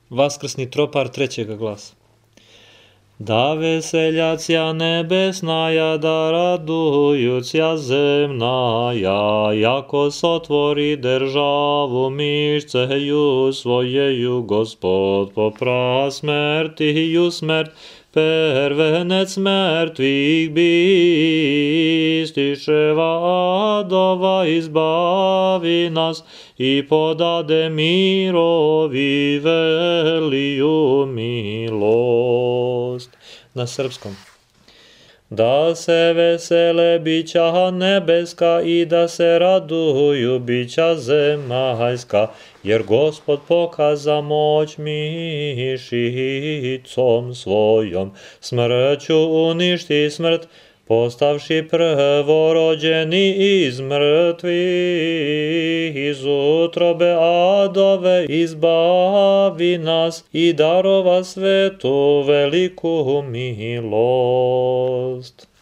Vaskrsni tropar trećega glasa. Da veseljacija nebesnaja, da radujuća zemnaja, jako sotvori državu mišceju svojeju, Gospod popra smrtiju smrt, pervenec mrtvih bistiševa adova izbavi nas i podade mirovi veliju milost. Na srpskom. Da se vesele bića nebeska i da se raduju bića zemaljska, jer Gospod pokaza moć mišicom svojom, smrću uništi smrt, postavši prvorođeni iz mrtvih, iz utrobe adove izbavi nas i darova svetu veliku milost.